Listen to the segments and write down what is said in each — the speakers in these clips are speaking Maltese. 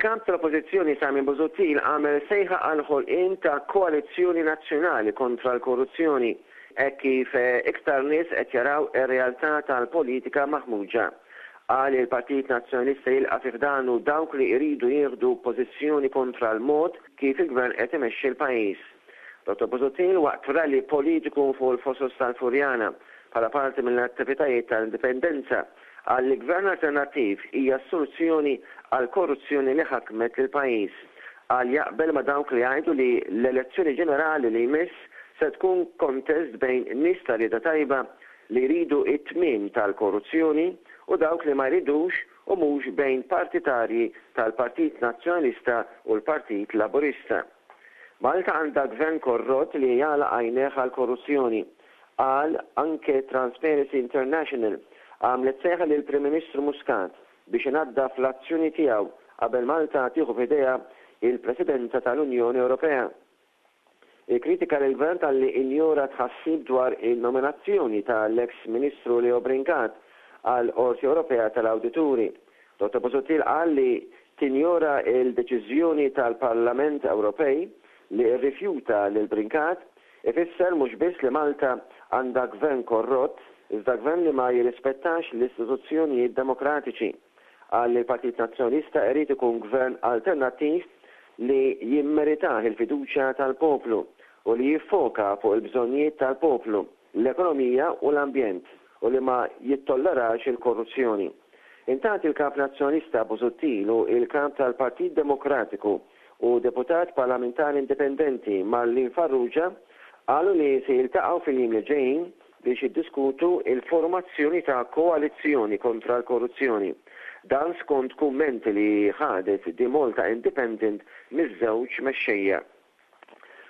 Il-Kap tal-Oppożizzjoni Simon Busuttil għamel sejħa għall-ħolqien ta' koalizzjoni nazzjonali kontra l-korruzzjoni hekk kif iktar nies qed jaraw ir-realtà tal-politika maħmuġa. Qal li l-Partit Nazzjonalista jilqa' fi ħdanu dawk li jridu jieħdu pożizzjoni kontra l-mod kif il-Gvern qed imexxi l-pajjiż. Dottor Busuttil waqt rally politiku fuq il-Fosos tal-Furjana bħala parti mill-attivitajiet tal-Indipendenza qal li gvern alternattiv hija s-soluzzjoni għall-korruzzjoni li ħakmet lill-pajjiż. Qal jaqbel ma' dawk li jgħidu li l-elezzjoni ġenerali li jmiss se tkun kontest bejn nies ta' rieda tajba li jridu t-tmiem tal-korruzzjoni u dawk li ma jridux u mhux bejn partitarji tal-Partit Nazzjonalista u l-Partit Laburista. Malta għandha gvern korrott li jagħlaq għajnejh għall-korruzzjoni, qal anke Transparency International għamlet sejħa lill-Prim Ministru Muscat biex inaddaf l-azzjoni tiegħu qabel Malta tieħu f'idejha il-Presidenza tal-Unjoni Ewropea. Ikkritika lill-Gvern talli injora tħassib dwar in-nominazzjoni tal-eks Ministru Leo Brincat għall-Qorti Ewropea tal-Awdituri. Dottor Busuttil qal li tinjora l-deċiżjoni tal-Parlament Ewropej li rrifjuta lil Brincat ifisser mhux biss li Malta għandha gvern korrott iżda gvern li ma jirrispettax l-istituzzjonijiet demokratiċi. Qal li l-Partit Nazzjonalista irid ikun gvern alternattiv li jimmeritah il-fiduċja tal-poplu u li jiffoka fuq il-bżonnijiet tal-poplu. l-ekonomija u l-ambjent u li ma jittollerax il-korruzzjoni. Intant il-Kap Nazzjonalista Busuttil u il-Kap tal-Partit Demokratiku u Deputat Parlamentari Indipendenti Marlene Farrugia qalu li se jiltaqgħu fil-jiem li ġejjin biex jiddiskutu l-formazzjoni ta' koalizzjoni kontra l-korruzzjoni. Dan skont kummenti li ħadet The Malta Independent miż-żewġ mexxejja.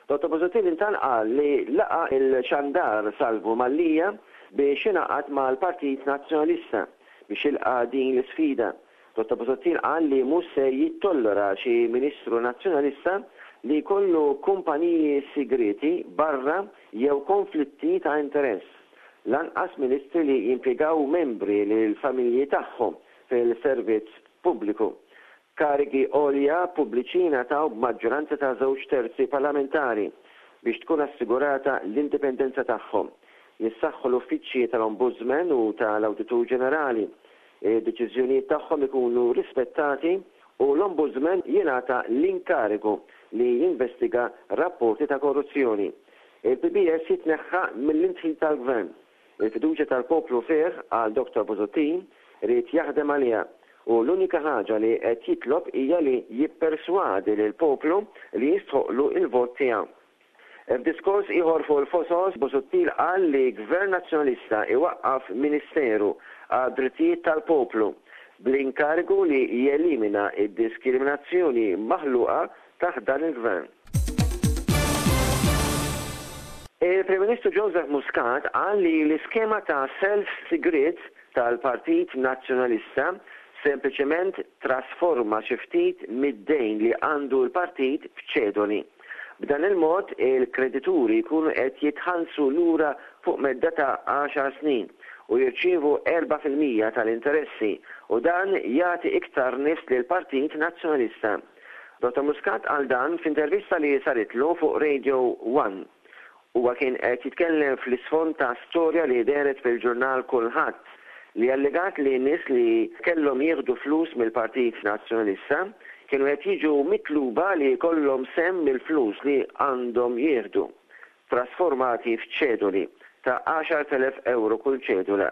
Dottor Busuttil intant qal li laqa' il-xandar Salvu Mallia biex ingħaqad mal-Partit Nazzjonalista biex jilqa' din l-isfida. Dottor Busuttil qal li mhux se jittollera xi Ministru Nazzjonalista li jkollu kumpaniji sigrieti barra jew konflitti ta' interess. Lanqas Ministri li jimpjegaw membri lill-familji tagħhom fil-servizz pubbliku. Karigi għolja pubbliċi jingħataw b'maġġoranza ta' żewġ terzi parlamentari biex tkun assigurata l-indipendenza tagħhom. Jissaħħu l-uffiċċji tal-Ombudsman u tal-Awditur Ġenerali. Id-deċiżjonijiet tagħhom ikunu rispettati u l-Ombudsman jingħata l-inkarigu li jinvestiga rapporti ta' korruzzjoni. Il-PBS jitneħħa mill-indħil tal-Gvern. Il-fiduċja tal-poplu fih, qal Dottor Busuttil, ried jaħdem għaliha u l-unika ħaġa li qed jitlob hija li jipperswadi lill-poplu li jistħoqqlu l-vot tiegħu. F'diskors ieħor fuq il-Fosos, Busuttil qal li Gvern Nazzjonalista iwaqqaf Ministeru għad-Drittijiet tal-Poplu bl-inkarigu li jelimina d-diskriminazzjoni maħluqa taħt dan il-Gvern. Il-Prim Ministru Joseph Muscat qal li l-iskema ta' self sigriet tal-Partit Nazzjonalista sempliċement trasforma xi ftit mid-dejn li għandu l-partit f'ċedoli. B'dan il-mod il-kredituri jkunu qed jitħallsu lura fuq medda ta' għaxar snin u jirċievu 4% tal-interessi u dan jagħti iktar nifs lill-Partit Nazzjonalista. Dottor Muscat qal dan f'intervista li saritlu fuq Radio One. Huwa kien qed jitkellem fl-isfond ta' storja li dehret fil-ġurnal Kullħadd li allegat li nies li kellhom jieħdu flus mill-Partit Nazzjonalista kienu qed jiġu mitluba li jkollhom sehem mill-flus li għandhom jieħdu. trasformati f'ċedoli ta' 10,000 ewro kull ċedula.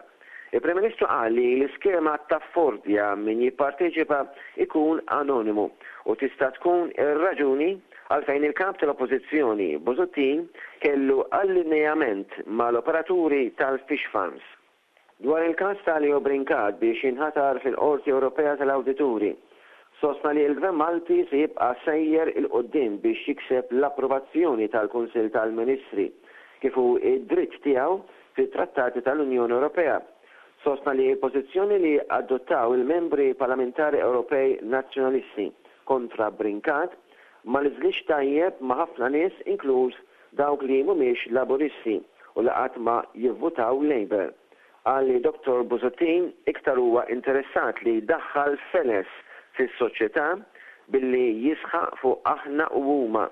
Il-Prim Ministru qal li l-iskema taffordja min jipparteċipa jkun anonimu u tista' tkun ir-raġuni għalfejn il-Kap tal-Oppożizzjoni Busuttil kellu allineament mal-operaturi tal-fish farms. Dwar il-każ ta' Leo Brincat biex jinħatar fil-Qorti Ewropea tal-Awdituri, sostna li l-Gvern Malti se jibqa' sejjer 'il quddiem biex jikseb l-approvazzjoni tal-Kunsill tal-Ministri, kif hu d-dritt tiegħu fit-Trattati tal-Unjoni Ewropea. Sostna li l-pożizzjoni li adottaw il-Membri Parlamentari Ewropej Nazzjonalisti kontra Brincat ma niżlitx tajjeb ma' ħafna nies inkluż dawk li mhumiex Laburisti u li qatt ma jivvutaw Labour. Qal li Dottor Busuttil iktar huwa interessat li jdaħħal feles fis-soċjetà billi jisħaq fuq aħna u huma,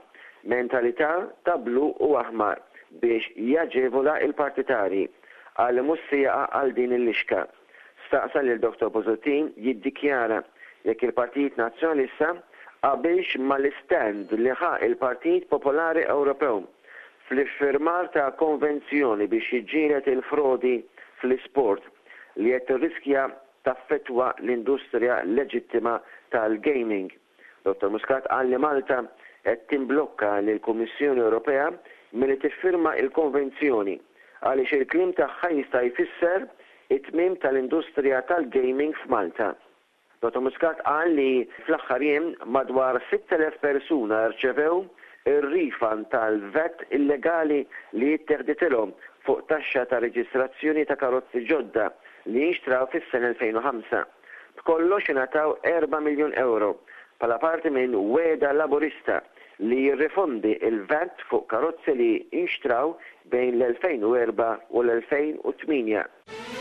mentalità ta' blu u aħmar biex jaġevola l-partitarji. Qal li mhux se jaqa' għal din il-lixka. Staqsa lil Dottor Busuttil jiddikjara jekk il-Partit Nazzjonalista qabilx mal-istand li ħa l-Partit Popolari Ewropew fl-iffirmar ta' konvenzjoni biex jiġġieled il-frodi fl-isport li qed tirriskja taffettwa l-industrija leġittima tal-gaming. Dottor Muscat qal li Malta qed timblokka lill-Kummissjoni Ewropea milli tiffirma l-konvenzjoni għaliex il-kliem tagħha jista' jfisser it-tmiem tal-industrija tal-gaming f'Malta. Dottor Muscat qal li fl-aħħar jiem madwar 6,000 persuna rċevew ir-refund tal-VAT illegali li itteħditilhom fuq taxxa ta' reġistrazzjoni ta' karozzi ġodda li nxtraw fis-sena 2005. B'kollox ingħataw erba' miljun ewro bħala parti minn wegħda Laburista li jirrifondi l-VAT fuq karozzi li nxtraw bejn l-2004 u l-2008.